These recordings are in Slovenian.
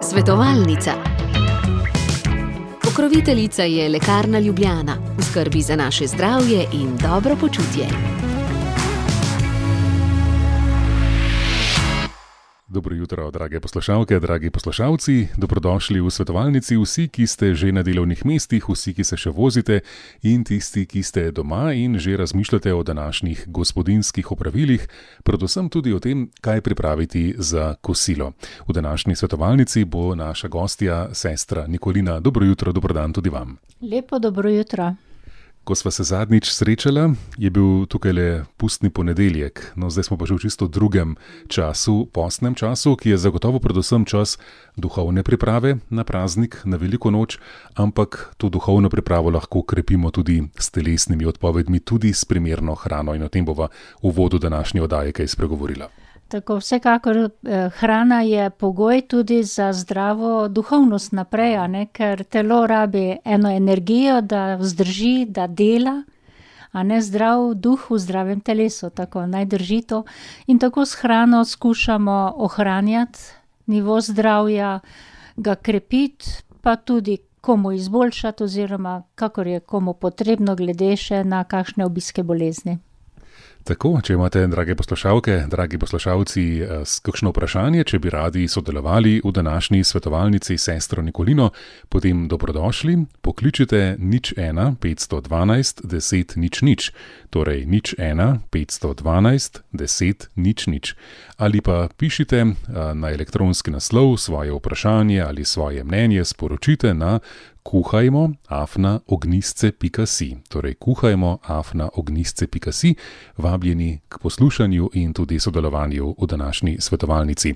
Svetovalnica. Pokroviteljica je Lekarna Ljubljana, v skrbi za naše zdravje in dobro počutje. Dobro jutro, drage poslušalke, dragi poslušalci. Dobrodošli v svetovalnici vsi, ki ste že na delovnih mestih, vsi, ki se še vozite in tisti, ki ste doma in že razmišljate o današnjih gospodinjskih opravilih, predvsem tudi o tem, kaj pripraviti za kosilo. V današnji svetovalnici bo naša gostja, sestra Nikolina. Dobro jutro, dobro dan tudi vam. Lepo dobro jutro. Ko sva se zadnjič srečala, je bil tukaj le pustni ponedeljek. No, zdaj smo pa že v čisto drugem času, postnem času, ki je zagotovo predvsem čas duhovne priprave na praznik, na veliko noč, ampak to duhovno pripravo lahko krepimo tudi s telesnimi odpovedmi, tudi s primerno hrano, in o tem bova v uvodu današnje oddaje kaj spregovorila. Tako, vsekakor hrana je pogoj tudi za zdravo duhovnost naprej, ker telo rabi eno energijo, da vzdrži, da dela, zdrav duh v zdravem telesu, tako naj drži to. In tako s hrano skušamo ohranjati nivo zdravja, ga krepiti, pa tudi komu izboljšati oziroma kakor je komu potrebno glede še na kakšne obiske bolezni. Tako, če imate, drage poslušalke, dragi poslušalci, kakšno vprašanje, če bi radi sodelovali v današnji svetovalnici s sestro Nikolino, potem dobrodošli, pokličite 01 512 10 00, torej 01 512 10 00, ali pa pišite na elektronski naslov svoje vprašanje ali svoje mnenje, sporočite na kuhajmo@ognjisce.si, torej kuhajmo@ognjisce.si, vabljeni k poslušanju in tudi sodelovanju v današnji svetovalnici.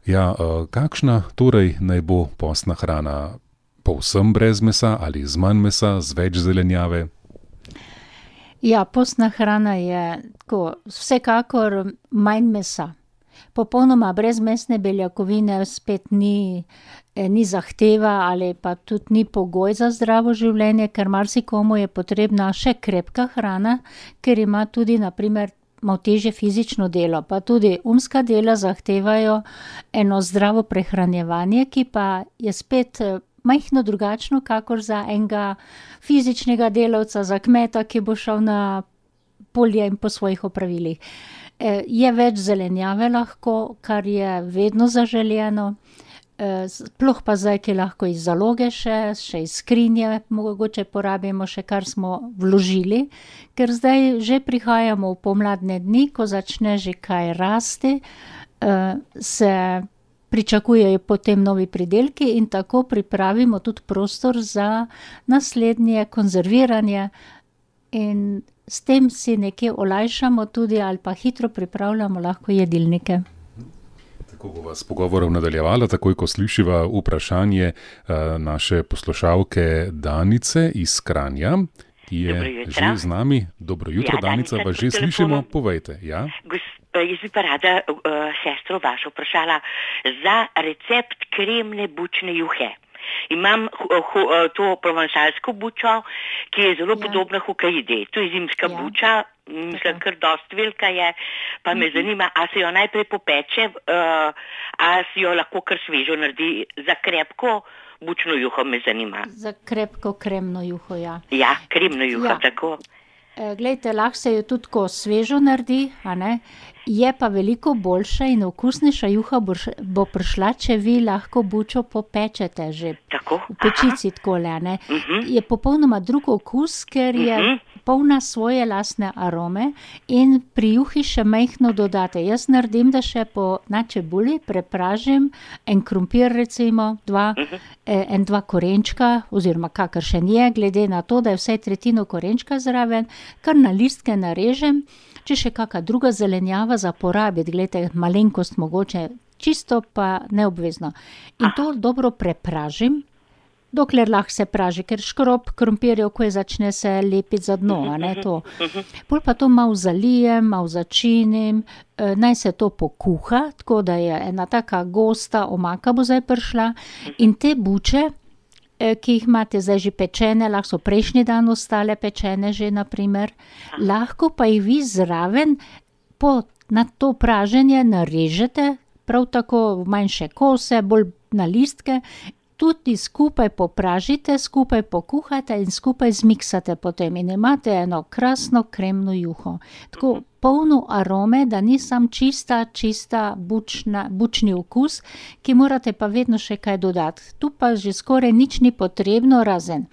Ja, kakšna torej naj bo postna hrana? Povsem brez mesa ali z manj mesa, z več zelenjave? Ja, postna hrana je tako, vsekakor manj mesa. Popolnoma brezmesne beljakovine spet ni zahteva ali pa tudi ni pogoj za zdravo življenje, ker marsikomu je potrebna še krepka hrana, ker ima tudi na primer malo težje fizično delo, pa tudi umska dela zahtevajo eno zdravo prehranjevanje, ki pa je spet majhno drugačno, kakor za enega fizičnega delavca, za kmeta, ki bo šel na polje in po svojih opravilih. Je več zelenjave lahko, kar je vedno zaželjeno, sploh pa zdaj, ki lahko iz zaloge še iz skrinje mogoče porabimo še, kar smo vložili, ker zdaj že prihajamo v pomladne dni, ko začne že kaj rasti, se pričakujejo potem novi pridelki in tako pripravimo tudi prostor za naslednje konzerviranje in s tem si nekje olajšamo tudi ali pa hitro pripravljamo lahko jedilnike. Tako bova s pogovorom nadaljevala, takoj ko slišiva vprašanje naše poslušalke Danice iz Kranja, ki je že z nami. Dobro jutro, ja, Danica, vas že slišimo, povejte. Ja? Jaz bi pa rada sestro vašo vprašala za recept kremne bučne juhe. Imam to provansalsko bučo, ki je zelo podobna hokaidi. To je zimska buča, mislim, kar dosti velika je, pa me zanima, a se jo najprej popeče, a si jo lahko kar svežo naredi za krepko bučno juho, me zanima. Za krepko kremno juho, ja. Ja, kremno juho, tako. Glejte, lahko se jo tudi ko svežo naredi, je pa veliko boljša in okusnejša juha bo prišla, če vi lahko bučo popečete že tako? V pečici takole, Je popolnoma drug okus, ker je polna svoje lastne arome in pri juhi še majhno dodate. Jaz naredim, da še na čebuli prepražim en krompir recimo, dva korenčka oziroma kakršen je, glede na to, da je vsaj tretjino korenčka zraven, kar na listke narežem, če še kakšna druga zelenjava za porabiti, glejte, malenkost mogoče, čisto pa neobvezno. In to dobro prepražim, dokler lahko se praži, ker škrob krompirjev, ko je začne se lepiti za dno, to. Pol pa to malo zalijem, malo začinim, naj se to pokuha, tako da je ena taka gosta omaka bo zdaj prišla in te buče, ki jih imate zdaj že pečene, lahko so prejšnji dan ostale pečene že, na primer, lahko pa jih vi zraven na to praženje narežete, prav tako v manjše kose, bolj na listke, tudi skupaj popražite, skupaj pokuhate in skupaj zmiksate potem in imate eno krasno kremno juho. Tako polno arome, da ni sam čista bučni okus, ki morate pa vedno še kaj dodati. Tu pa že skoraj nič ni potrebno, razen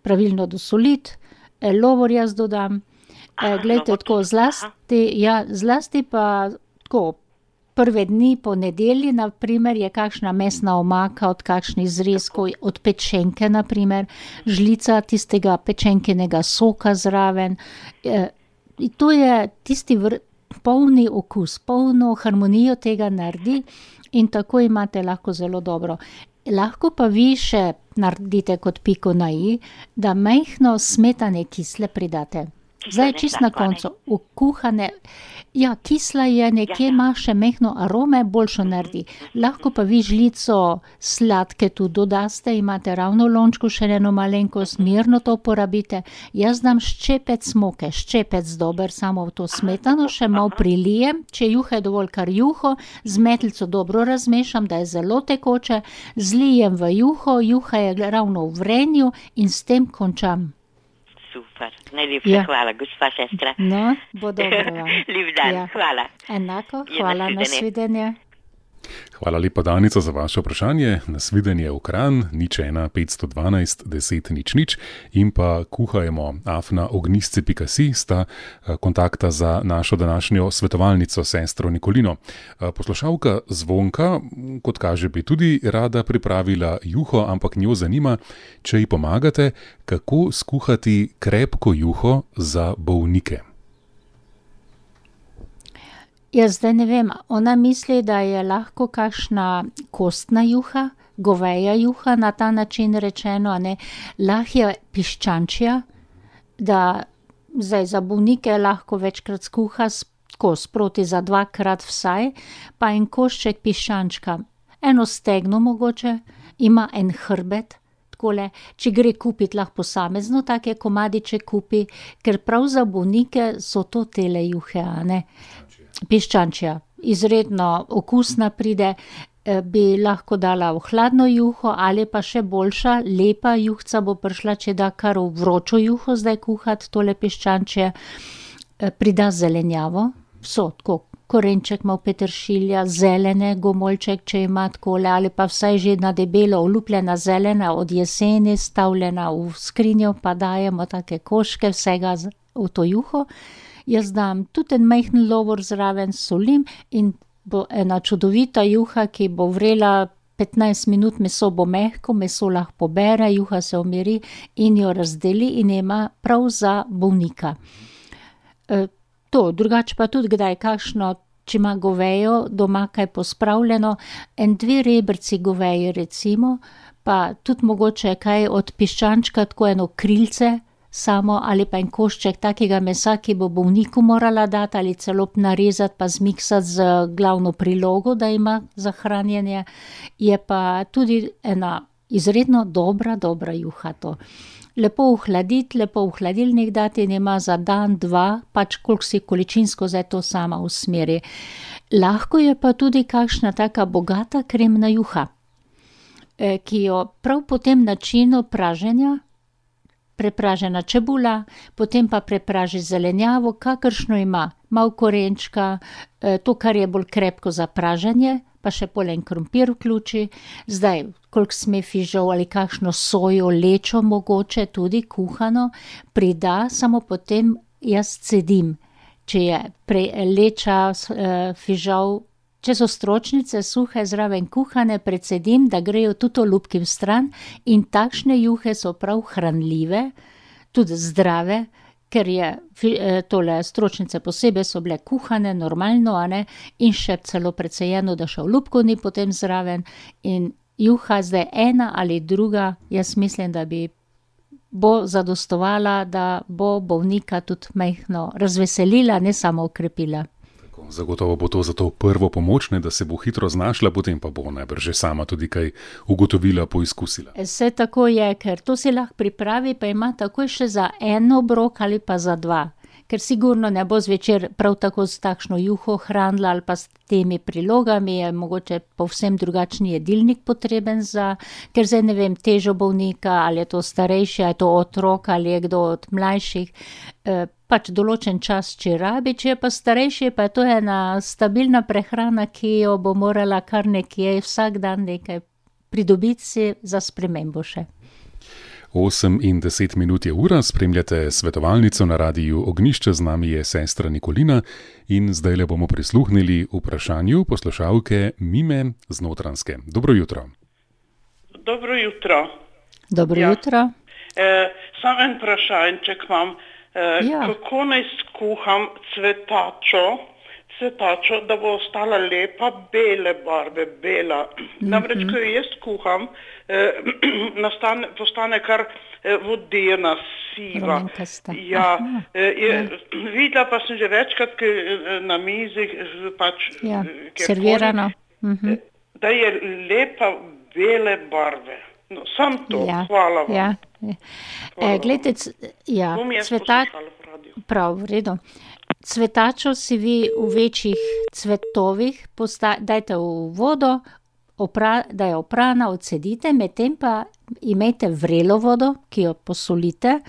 pravilno dosoliti, lovor jaz dodam. Glejte, tako zlasti pa tako prve dni po nedelji, na primer, je kakšna mesna omaka od kakšnih zrezkov, od pečenke, na primer, žlica tistega pečenkenega soka zraven. To je tisti polni okus, polno harmonijo tega naredi in tako imate lahko zelo dobro. Lahko pa vi še naredite kot piko na i, da majhno smetane kisle pridate. Zdaj čist na koncu, kuhane, kisla je, nekje ima še mehno arome, boljšo naredi. Lahko pa vi žlico sladke tu dodaste, imate ravno v lončku še eno malenkost, mirno to porabite. Jaz dam ščepec smoke, ščepec dober, samo v to smetano, še malo prilijem, če juha je dovolj kar juho, z metlico dobro razmešam, da je zelo tekoče, zlijem v juho, juha je ravno v vrenju in s tem končam. Super, najlepša hvala, gospa sestra. No, bo dobro vam. Lep dan, hvala. Enako, hvala, nasvidenje. Hvala lepa, Danica, za vaše vprašanje. Nasvidenje v Kranj, 01 512 10 00 in pa kuhajmo@ognisce.si sta kontakta za našo današnjo svetovalnico, sestro Nikolino. Poslušalka Zvonka, kot kaže, bi tudi rada pripravila juho, ampak njo zanima, če ji pomagate, kako skuhati krepko juho za bolnike. Jaz zdaj ne vem, ona misli, da je lahko kakšna kostna juha, goveja juha, na ta način rečeno, ne, lahko je piščančja, da zdaj za bolnike lahko večkrat skuha sproti za 2krat vsaj, pa en košček piščančka, eno stegno mogoče, ima en hrbet, takole, če gre kupiti lahko posamezno, take komadiče kupi, ker prav za bolnike so to tele juhe, a ne. Piščančja, izredno okusna pride, bi lahko dala v hladno juho ali pa še boljša, lepa juhca bo prišla, če da kar v vročo juho zdaj kuhati, tole piščančje, prida zelenjavo, tako korenček malo peteršilja, zelene, gomoljček, če ima takole, ali pa vsaj že na debelo olupljena zelena od jeseni, stavljena v skrinjo, pa dajemo take koške vsega v to juho. Jaz dam tudi en majhen lovor zraven, solim in bo ena čudovita juha, ki bo vrela 15 minut, meso bo mehko, meso lahko pobere, juha se umiri in jo razdeli in ima prav za bolnika. Drugače pa tudi kdaj kakšno, če ima govejo, doma kaj pospravljeno, 2 rebrci goveje recimo, pa tudi mogoče kaj od piščančka, tako eno krilce, samo ali pa en košček takega mesa, ki bo bolniku morala dati ali celo narezati pa zmiksati z glavno prilogo, da ima za hranjenje, je pa tudi ena izredno dobra juha to. Lepo ohladiti, lepo v hladilnik dati in ima za dan, 2, pač koliko si količinsko zdaj to sama usmeri. Lahko je pa tudi kakšna taka bogata kremna juha, ki jo prav po tem načinu praženja, prepražena čebula, potem pa prepraži zelenjavo, kakršno ima, malo korenčka, to, kar je bolj krepko za praženje, pa še polen krompir vključi, zdaj, koliko sme fižol ali kakšno sojo, lečo mogoče, tudi kuhano, prida, samo potem jaz cedim, če je leča, fižol, če so stročnice suhe zraven kuhane, predsedim, da grejo tudi olupki v stran in takšne juhe so prav hranljive, tudi zdrave, ker je tole stročnice posebej so bile kuhane, normalno, a ne, in še celo precejeno, da še olupkov ni potem zraven in juha zdaj ena ali druga, jaz mislim, da bo zadostovala, da bo bolnika tudi majhno razveselila, ne samo okrepila. Zagotovo bo to za to prvo pomoč, da se bo hitro znašla, potem pa bo najbrž že sama tudi kaj ugotovila, poizkusila. Vse tako je, ker to si lahko pripravi, pa ima takoj še za 1 obrok ali pa za 2, ker sigurno ne bo zvečer prav tako s takšno juho hranila ali pa s temi prilogami, je mogoče povsem drugačni jedilnik potreben ker zdaj ne vem, težo bolnika, ali je to starejši, ali je to otrok, ali je kdo od mlajših, pač določen čas, če rabi, če je pa starejši, pa je to ena stabilna prehrana, ki jo bo morala kar nekje vsak dan nekaj pridobiti si za spremembo še. 8 in 10 minut je ura, spremljate svetovalnico na radiju Ognjišče, z nami je sestra Nikolina in zdaj le bomo prisluhnili vprašanju poslušalke Mime z Notranjske. Dobro jutro. Dobro jutro. Dobro jutro. Samo en vprašanček imam. Kako naj skuham cvetačo, da bo ostala lepa bele barve, bela. Namreč, ko jo jaz skuham, postane kar vodena, siva. Videla pa sem že večkrat na mizi, servirano. Da je lepa bele barve. No, sam to, hvala vam. Glejte, prav, v redu. Cvetačo si vi v večjih cvetovih dajte v vodo, da je oprana, odcedite, medtem pa imejte vrelo vodo, ki jo posolite.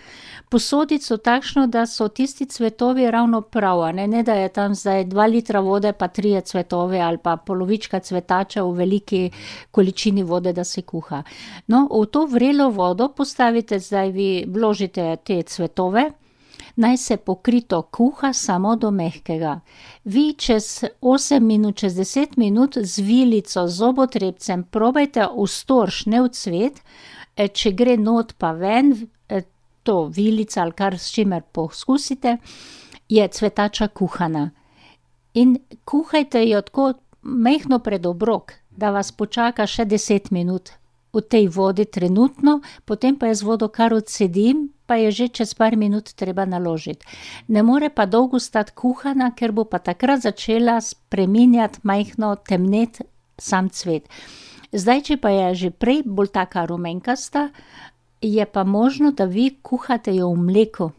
Posodico takšno, da so tisti cvetovi ravno prav, ne da je tam zdaj 2 litra vode pa 3 cvetove ali pa polovička cvetača v veliki količini vode, da se kuha. No, v to vrelo vodo postavite, zdaj vi vložite te cvetove, naj se pokrito kuha samo do mehkega. Vi čez 8 minut, čez 10 minut z vilico, z zobotrebcem probajte v storž, ne v cvet, če gre not pa ven, to vilica ali kar s čimer poskusite, je cvetača kuhana. In kuhajte jo tako mehno pred obrok, da vas počaka še 10 minut v tej vodi trenutno, potem pa jaz vodo kar odsedim, pa je že čez par minut treba naložiti. Ne more pa dolgo stati kuhana, ker bo pa takrat začela spreminjati majhno, temneti sam cvet. Zdaj, če pa je že prej bolj taka rumenkasta, je pa možno, da vi kuhate jo v mleku.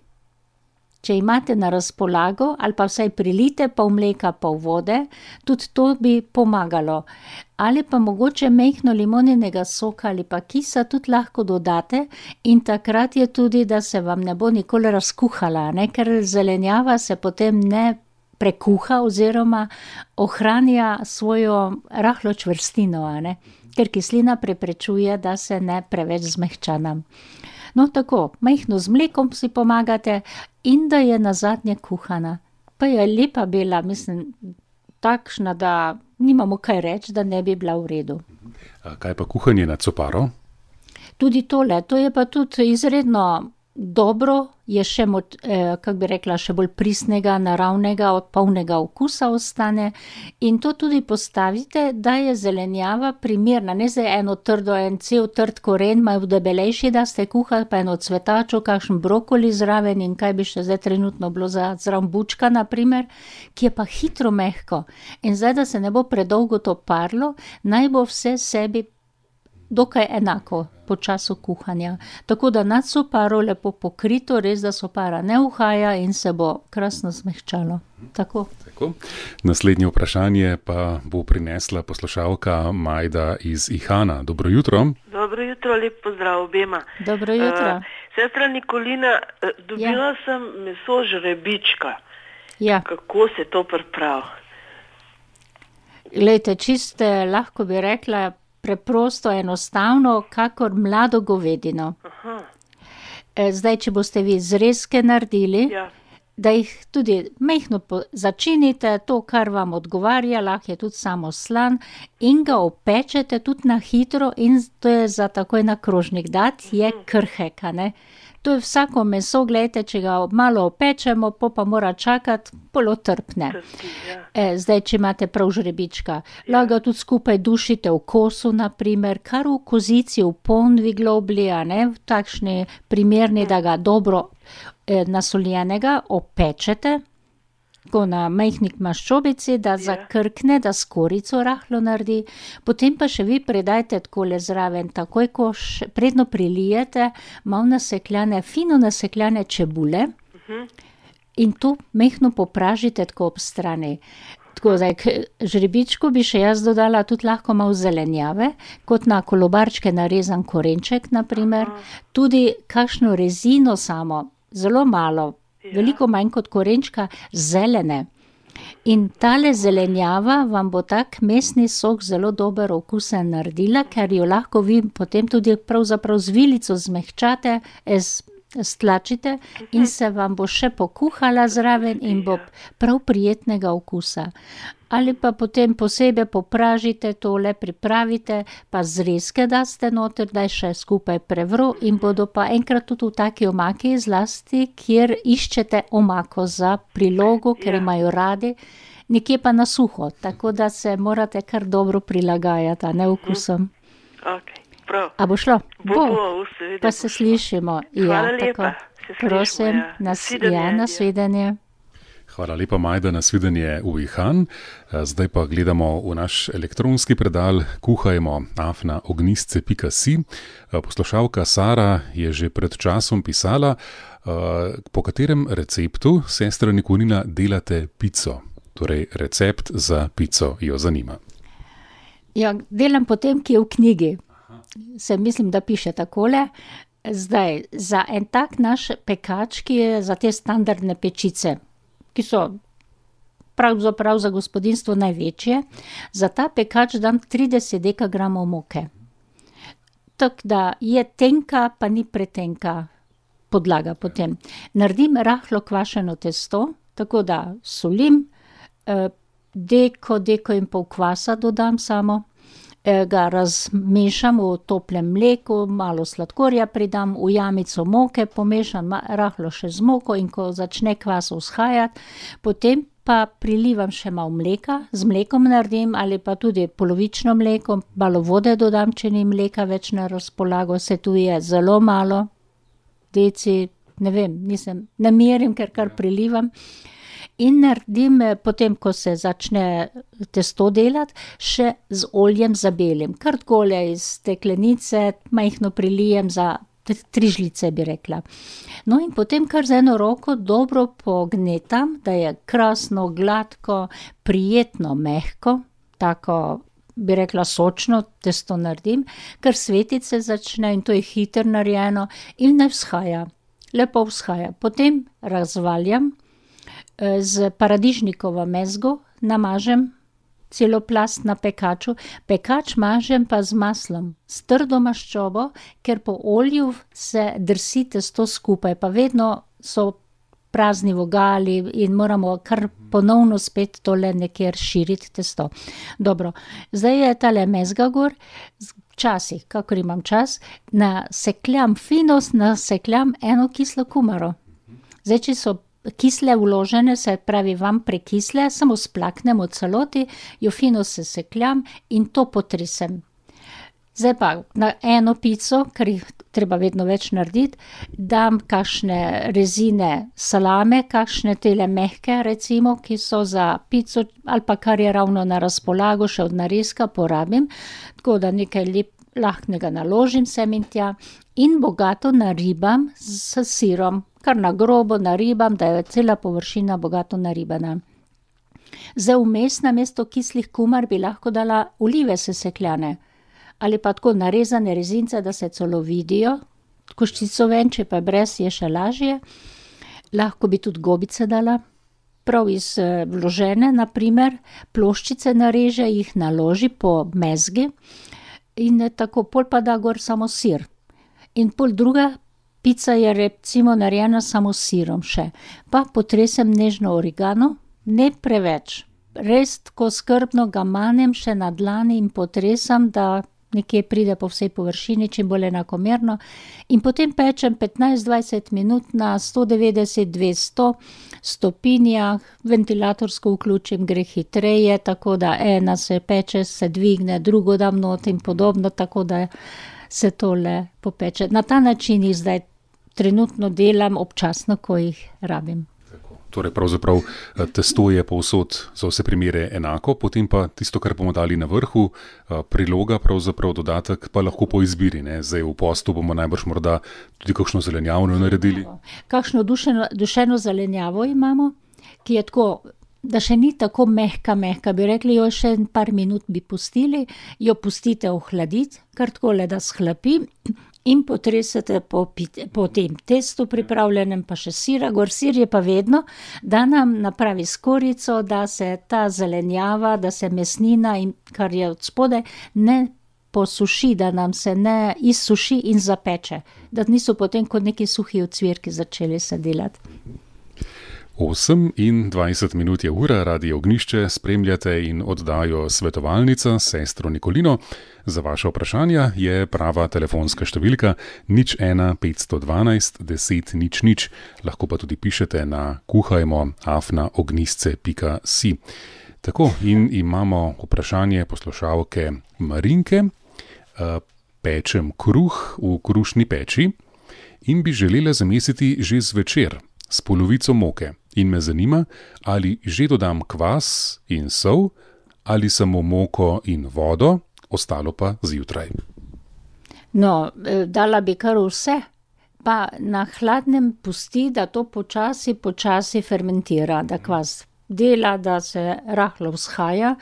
Če imate na razpolago, ali pa vsaj prilite pol mleka, pol vode, tudi to bi pomagalo. Ali pa mogoče majhno limoninega soka ali pa kisa tudi lahko dodate in takrat je tudi, da se vam ne bo nikoli razkuhala, ker zelenjava se potem ne prekuha oziroma ohranja svojo rahlo čvrstino, ker kislina preprečuje, da se ne preveč zmehča nam. No, tako, majhno z mlekom si pomagate in da je nazadnje kuhana. Pa je lepa bela, mislim, takšna, da nimamo kaj reči, da ne bi bila v redu. Kaj pa kuhanje na coparo? Tudi tole, to je pa tudi izredno dobro, je še, kako bi rekla, še bolj pristnega, naravnega, polnega okusa ostane in to tudi postavite, da je zelenjava primerna, ne zdaj eno trdo, en cel trd koren, malo debelejši, da ste kuhali, pa eno cvetačo, kakšen brokoli zraven in kaj bi še zdaj trenutno bilo zraven bučka, na primer, ki je pa hitro mehko. In zdaj, da se ne bo predolgo to parlo, naj bo vse sebi dokaj enako po času kuhanja. Tako da nad soparo lepo pokrito, res da sopara ne uhaja in se bo krasno zmehčalo. Tako. Naslednje vprašanje pa bo prinesla poslušalka Majda iz Ihana. Dobro jutro. Dobro jutro, lep pozdrav obema. Dobro jutro. Sestra Nikolina, dobila sem meso žrebička. Ja. Kako se to pripravi? Glejte, čiste, lahko bi rekla, preprosto, enostavno, kakor mlado govedino. Zdaj, če boste vi zrezke naredili, da jih tudi majhno začinite, to, kar vam odgovarja, lahko je tudi samo slan, in ga opečete tudi na hitro in to je za takoj na krožnik dati, je krhek, To je vsako meso, gledajte, če ga malo opečemo, pa mora čakati, polo trpne. Zdaj, če imate prav žrebička, lahko ga tudi skupaj dušite v kosu, naprimer, kar v kozici, v ponvi globli, v takšni primerni, da ga dobro nasoljenega opečete, tako na majhnik maščobici, da zakrkne, da skorico rahlo naredi, potem pa še vi predajte takole zraven, takoj ko predno prilijete, malo nasekljane, fino nasekljane čebule, In to mehko popražite tako ob strani. Tako, zdaj, k žrebičku bi še jaz dodala tudi lahko malo zelenjave, kot na kolobarčke narezan korenček, naprimer. Tudi kakšno rezino samo, zelo malo, veliko manj kot korenčka, zelene. In tale zelenjava vam bo tak mesni sok zelo dober okusen naredila, ker jo lahko vi potem tudi pravzaprav z vilico zmehčate, stlačite in se vam bo še pokuhala zraven in bo prav prijetnega okusa. Ali pa potem posebej popražite tole, pripravite, pa zrezke daste noter, da je še skupaj prevro in bodo pa enkrat tudi v taki omaki zlasti, kjer iščete omako za prilogo, ker imajo radi, nekje pa na suho, tako da se morate kar dobro prilagajati, a ne okusom. Ok. Prav. A bo šlo? Bo, seveda. Pa se slišimo. Hvala lepa. Prosim, nasvidenje. Hvala lepa, Majda, nasvidenje v Ihan. Zdaj pa gledamo v naš elektronski predal kuhajmo@ognisce.si. Poslušalka Sara je že pred časom pisala, po katerem receptu, sestra Nikolina, delate pico. Torej, recept za pico jo zanima. Ja, delam po tem, ki je v knjigi. Se mislim, da piše takole. Zdaj, za en tak naš pekač, ki je za te standardne pečice, ki so pravzaprav za gospodinjstvo največje, za ta pekač dam 30 dekagramov moke. Tako da je tenka, pa ni pretenka podlaga potem. Naredim rahlo kvašeno testo, tako da solim, deko in pol kvasa dodam samo, ga razmešam v toplem mleku, malo sladkorja pridam, v jamico moke pomešam rahlo še z moko in ko začne kvas vzhajati, potem pa prilivam še malo mleka, z mlekom naredim ali pa tudi polovično mleko, malo vode dodam, če ni mleka več na razpolago, se tu je zelo malo, deci, ne vem, ne merim, ker kar prilivam. In naredim, potem ko se začne testo delati, še z oljem zabelim. Kar takole iz steklenice, majhno prilijem za 3 žlice, bi rekla. No in potem kar z eno roko dobro pognetam, da je krasno, gladko, prijetno, mehko, tako bi rekla sočno testo naredim, kar svetiti se začne in to je hitro narejeno in naj vzhaja, lepo vzhaja. Potem razvaljam, z paradižnikovo mezgo namažem celo plast na pekaču. Pekač mažem pa z maslom, s trdo maščobo, ker po olju se drsi testo skupaj, pa vedno so prazni vogali in moramo kar ponovno spet tole nekje širiti testo. Dobro, zdaj je tale mezga gor, včasih, kakor imam čas, nasekljam eno kislo kumaro. Zdaj, če so kisle vložene, se pravi vam prekisle, samo splaknem v celoti, jo fino sesekljam in to potresem. Zdaj pa na eno pico, ker jih treba vedno več narediti, dam kakšne rezine salame, kakšne tele mehke recimo, ki so za pico ali pa kar je ravno na razpolago, še od narezka porabim, tako da nekaj lahknega naložim sem in tja in bogato naribam s sirom. Kar na grobo naribam, da je cela površina bogato naribana. Zdaj vmes namesto kislih kumar bi lahko dala olive sesekljane ali pa tako narezane rezince, da se celo vidijo, koščico ven, če pa brez je še lažje. Lahko bi tudi gobice dala, prav iz vložene, naprimer, ploščice nareže, jih naloži po mezgi in tako pol pa da gor samo sir. In pol druga pica je recimo narejena samo s sirom še. Pa potresem nežno origano, ne preveč. Res tako skrbno ga manem še na dlani in potresam, da nekje pride po vsej površini, čim bolj enakomerno. In potem pečem 15-20 minut na 190-200 stopinjah, ventilatorsko vključim, gre hitreje, tako da ena se peče, se dvigne, drugo dam not in podobno, tako da se tole popeče. Na ta način jih zdaj trenutno delam občasno, ko jih rabim. Torej, pravzaprav testo je povsod za vse primere enako, potem pa tisto, kar bomo dali na vrhu, priloga, pravzaprav dodatek, pa lahko po izbiri. Ne? Zdaj v postu bomo najbrž morda tudi kakšno zelenjavno naredili. Kakšno dušeno zelenjavo imamo, ki je tako, da še ni tako mehka, bi rekli, jo še par minut bi pustili, jo pustite ohladiti, kar tako le da shlapi. In potresete po tem testu pripravljenem, pa še sira, gor sir je pa vedno, da nam napravi skorico, da se ta zelenjava, da se mesnina, in kar je od spodaj, ne posuši, da nam se ne izsuši in zapeče, da niso potem kot neki suhi ocvirki začeli se delati. 28 minut je ura, Radio Ognjišče, spremljate in oddajo Svetovalnica s sestro Nikolino. Za vaše vprašanja je prava telefonska številka 01 512 10 00. Lahko pa tudi pišete na kuhajmo@ognjisce.si. Tako, in imamo vprašanje poslušalke Marinke. Pečem kruh v krušni peči in bi želela zamesiti že zvečer s polovico moke. In me zanima, ali že dodam kvas in sol, ali samo moko in vodo, ostalo pa zjutraj. No, dala bi kar vse, pa na hladnem pusti, da to počasi fermentira, da kvas dela, da se rahlo vzhaja.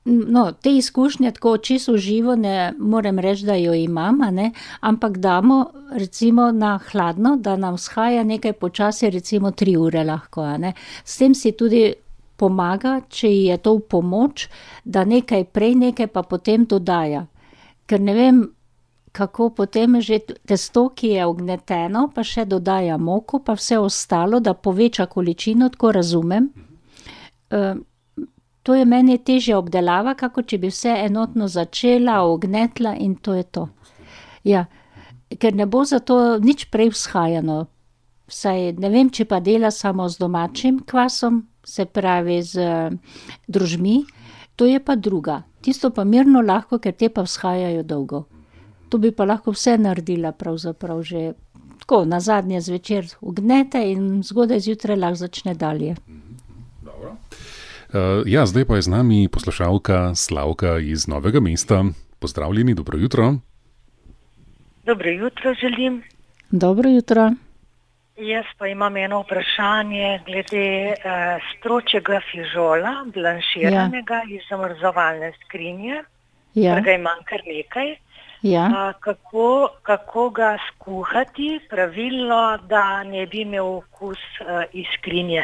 No, te izkušnje tako čisto živo ne morem reči, da jo imam, ne? Ampak damo recimo na hladno, da nam vzhaja nekaj počasi, recimo 3 ure lahko. Ne? S tem si tudi pomaga, če ji je to v pomoč, da nekaj prej, nekaj pa potem dodaja. Ker ne vem, kako potem že testo, ki je ugneteno, pa še dodaja moko, pa vse ostalo, da poveča količino, tako razumem. To je meni težja obdelava, kako če bi vse enotno začela, ognetla in to je to. Ja, ker ne bo zato nič prej vzhajano. Vsaj ne vem, če pa dela samo z domačim kvasom, se pravi z drožmi, to je pa druga. Tisto pa mirno lahko, ker te pa vzhajajo dolgo. To bi pa lahko vse naredila pravzaprav že tako, nazadnje zvečer ugnete in zgodaj zjutraj lahko začne dalje. Dobro. Ja, zdaj pa je z nami poslušalka Slavka iz Novega mesta. Pozdravljeni, dobro jutro. Dobro jutro želim. Dobro jutro. Jaz pa imam eno vprašanje glede stročjega fižola, blanširanega iz zamrzovalne skrinje, ker ga imam kar nekaj. Ja. Kako ga skuhati pravilno, da ne bi imel okus iz skrinje?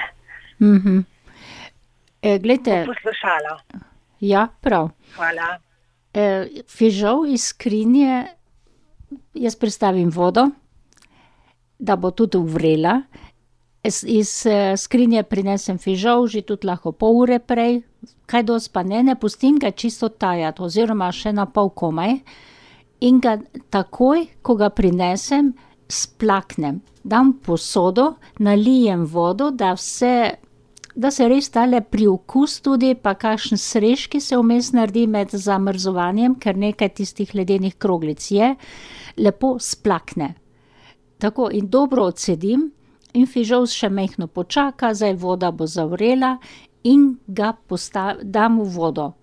Glejte, poslušala. Ja, prav. Hvala. Fižol iz skrinje, jaz pristavim vodo, da bo tudi uvrela. Iz skrinje prinesem fižol, že tudi lahko pol ure prej, kaj dosti pa ne pustim ga čisto tajati, oziroma še na pol komaj. In ga takoj, ko ga prinesem, splaknem. Dam posodo, nalijem vodo, da se res tale priokus tudi, pa kakšen srež, ki se vmes naredi med zamrzovanjem, ker nekaj tistih ledenih kroglic je, lepo splakne. Tako, in dobro odsedim in fižol še majhno počaka, zdaj voda bo zavrela in ga dam v vodo.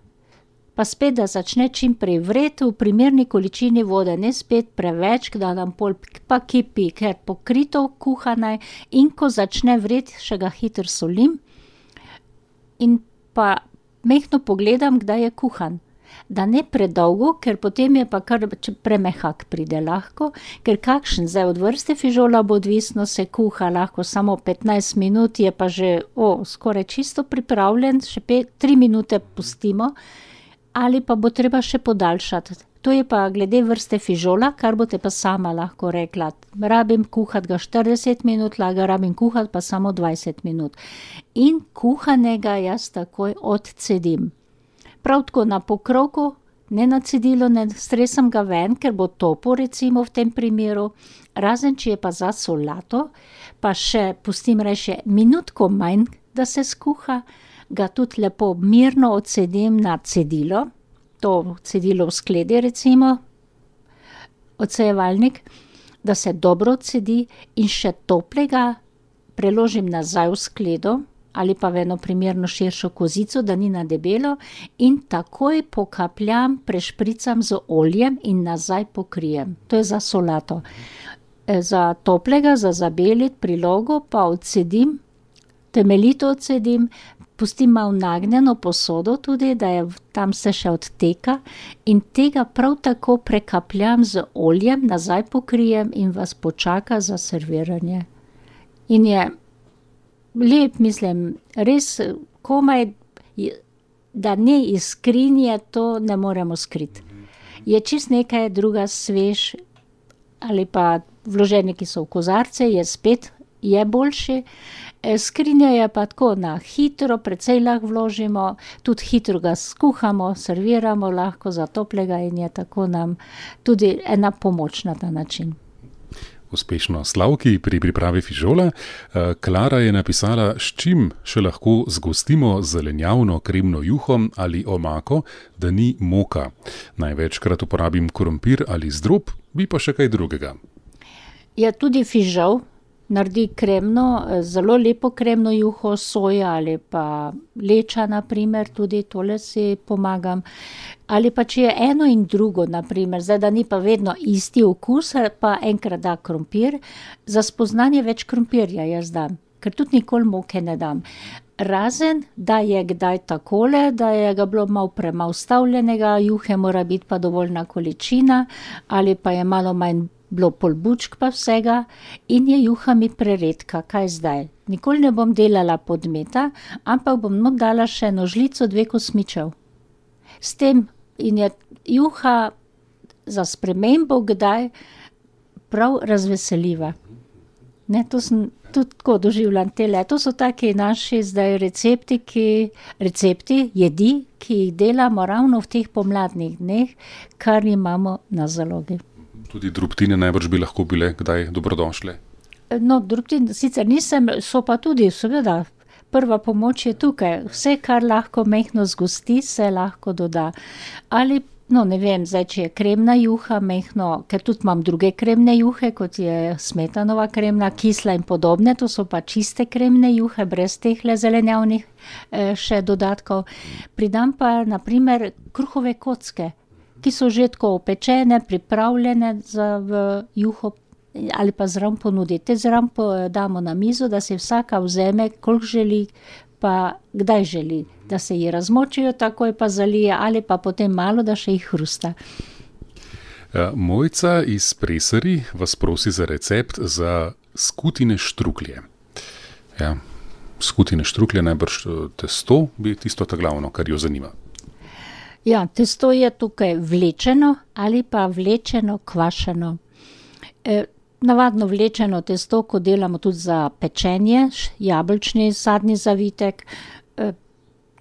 Pa spet, da začne čim prej vreti v primerni količini vode, ne spet preveč, da nam pol pa kipi, ker pokrito kuhane, in ko začne vreti, še ga hitro solim in pa majhno pogledam, kdaj je kuhan. Da ne predolgo, ker potem je pa kar premehak pride lahko, ker kakšen zdaj od vrste fižola bo odvisno, se kuha lahko samo 15 minut, je pa že skoraj čisto pripravljen, še 3 minute pustimo, ali pa bo treba še podaljšati. To je pa glede vrste fižola, kar boste pa sama lahko rekla. Rabim kuhati ga 40 minut, rabim kuhati pa samo 20 minut. In kuhanega jaz takoj odcedim. Prav tako na pokrovku, ne na cedilo, ne stresam ga ven, ker bo topo recimo v tem primeru. Razen, če je pa za solato, pa še pustim reče minutko manj, da se skuha, ga tudi lepo mirno odsedim na cedilo, to cedilo v skledi recimo, odsejevalnik, da se dobro odsedi in še toplega preložim nazaj v skledo ali pa v eno primerno širšo kozico, da ni na debelo, in takoj pokapljam, prešpricam z oljem in nazaj pokrijem. To je za solato. Za toplega, za zabeliti prilogo pa odcedim, temeljito odcedim, pustim malo nagnjeno posodo tudi, da je tam se še odteka, in tega prav tako prekapljam z oljem, nazaj pokrijem in vas počaka za serviranje. In je lep, mislim, res komaj, da ne iz skrinje, to ne moremo skriti. Je čist nekaj druga, svež, ali pa vloženi, ki so v kozarce, je boljši. Skrinja je pa tako na hitro, precej lahko vložimo, tudi hitro ga skuhamo, serviramo lahko za toplega in je tako nam tudi ena pomoč na ta način. Uspešno Slavki pri pripravi fižola. Klara je napisala, s čim še lahko zgostimo zelenjavno kremno juho ali omako, da ni moka. Največkrat uporabim krompir ali zdrob, bi pa še kaj drugega. Ja, tudi fižol naredi kremno, zelo lepo kremno juho, soja ali pa leča, na primer, tudi tole si pomagam. Ali pa če je eno in drugo, na primer, zdaj da ni pa vedno isti okus, pa enkrat da krompir, za spoznanje več krompirja jaz dam, ker tudi nikoli moke ne dam. Razen, da je kdaj takole, da je ga bilo malo premalo stavljenega, juhe mora biti pa dovoljna količina, ali pa je malo manj bilo polbučk pa vsega, in je juha mi preredka. Kaj zdaj? Nikoli ne bom delala podmeta, ampak bom not dala še eno žlico, 2 kosmičev. S tem in je juha za spremembo kdaj prav razveseljiva. Ne, to sem tudi tako doživljam tele. To so taki naši zdaj recepti, jedi, ki jih delamo ravno v teh pomladnih dneh, kar imamo na zalogi. Tudi drobtine najbrž bi lahko bile kdaj dobrodošle? No, drobtine sicer nisem, so pa tudi, seveda, prva pomoč je tukaj. Vse, kar lahko mehko zgosti, se lahko doda. Ali, no, ne vem, zdaj, če je kremna juha mehko, ker tudi imam druge kremne juhe, kot je smetanova kremna, kisla in podobne, to so pa čiste kremne juhe, brez tehle zelenjavnih še dodatkov. Pridam pa, na primer, kruhove kocke, ki so že tako opečene, pripravljene v juho ali pa zraven ponuditi. Te zraven damo na mizo, da se vsaka vzeme, koliko želi, pa kdaj želi, da se ji razmočijo, takoj pa zalije, ali pa potem malo, da še jih hrusta. Mojca iz Presari vas prosi za recept za skutine štruklje. Ja, skutine štruklje, najbrž testo bi tisto ta glavno, kar jo zanima. Ja, testo je tukaj vlečeno ali pa vlečeno kvašeno. Navadno vlečeno testo, ko delamo tudi za pečenje, jabolčni sadni zavitek,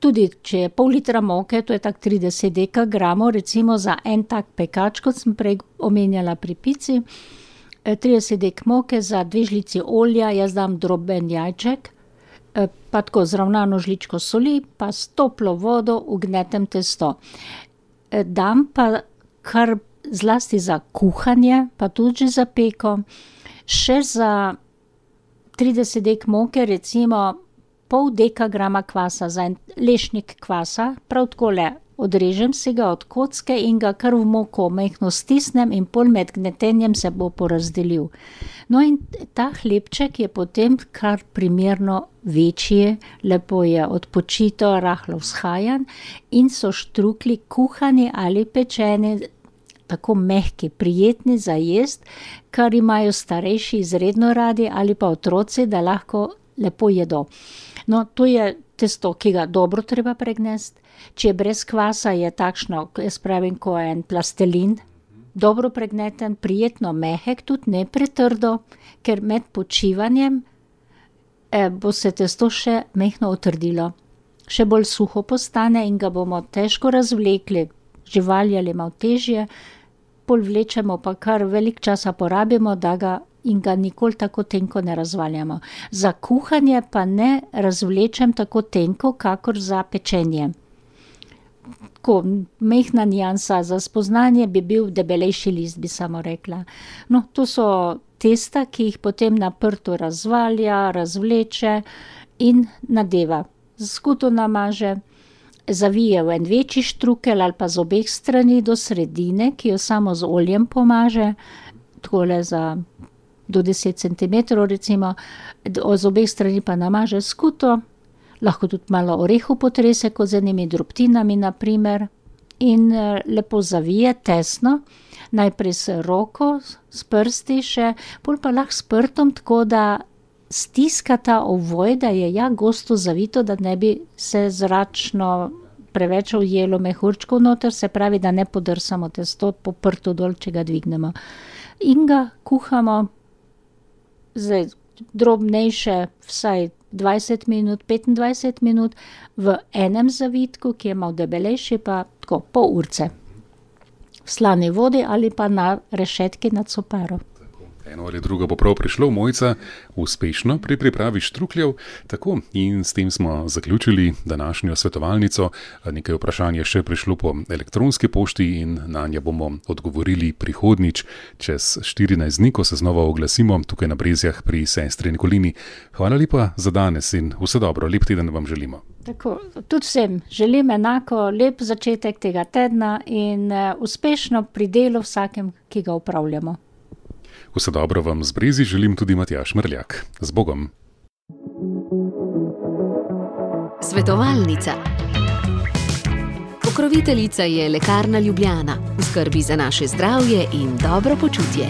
tudi če je pol litra moke, to je tak 30 dekagramov, recimo za en tak pekač, kot sem prej omenjala pri pici, 30 dek moke za 2 žlici olja, jaz dam droben jajček, pa tako zravnano žličko soli, pa s toplo vodo ugnetem testo. Dam pa kar zlasti za kuhanje, pa tudi že za peko, še za 30 dek moke, recimo pol dekagrama kvasa, za en lešnik kvasa, prav takole odrežem si ga od kocke in ga kar v moko mehko stisnem in pol med gnetenjem se bo porazdelil. No in ta hlebček je potem kar primerno večji, lepo je odpočito, rahlo vzhajan in so štruklji kuhani ali pečeni, tako mehki, prijetni za jest, kar imajo starejši izredno radi ali pa otroci, da lahko lepo jedo. No, to je testo, ki ga dobro treba pregnesti. Če je brez kvasa, je takšno, jaz pravim, ko je en plastelin, dobro pregneten, prijetno mehek, tudi ne pretrdo, ker med počivanjem bo se testo še mehko otrdilo. Še bolj suho postane in ga bomo težko razvlekli, živali ali malo težje, pol vlečemo pa kar velik časa porabimo, da ga in ga nikoli tako tenko ne razvaljamo. Za kuhanje pa ne razvlečem tako tenko, kakor za pečenje. tako mehna nijansa, za spoznanje bi bil debelejši list, bi samo rekla. No, to so testa, ki jih potem na prtu razvalja, razvleče in nadeva. Z skuto namaže, zavije v en večji štrukelj ali pa z obeh strani do sredine, ki jo samo z oljem pomaže, takole do 10 cm recimo, z obeh strani pa namaže skuto, lahko tudi malo orehu potrese, kot z enimi drobtinami naprimer, in lepo zavije tesno, najprej s roko, s prsti še, pol pa lahko s prtom, tako da stiska ta ovoj, da je gosto zavito, da ne bi se zračno preveč ujelo mehurčkov noter, se pravi, da ne podrsamo testo po prtu dol, če ga dvignemo. In ga kuhamo, zdaj drobnejše, vsaj 20 minut, 25 minut, v enem zavitku, ki je malo debelejši, pa tako pol urce. V slani vodi ali pa na rešetki nad soparo. Eno ali drugo bo prav prišlo, Mojca, uspešno pri pripravi štrukljev. Tako, in s tem smo zaključili današnjo svetovalnico. Nekaj vprašanj je še prišlo po elektronski pošti in na nje bomo odgovorili prihodnjič, čez 14 dni, ko se znova oglasimo tukaj na Brezjah pri sestri Nikolini. Hvala lepa za danes in vse dobro, lep teden vam želimo. Tako, tudi vsem želim enako lep začetek tega tedna in uspešno pri delu vsakem, ki ga upravljamo. Vse dobro vam z Brezi želim tudi Matjaž Mrljak. Z Bogom. Svetovalnica. Pokroviteljica je Lekarna Ljubljana. V skrbi za naše zdravje in dobro počutje.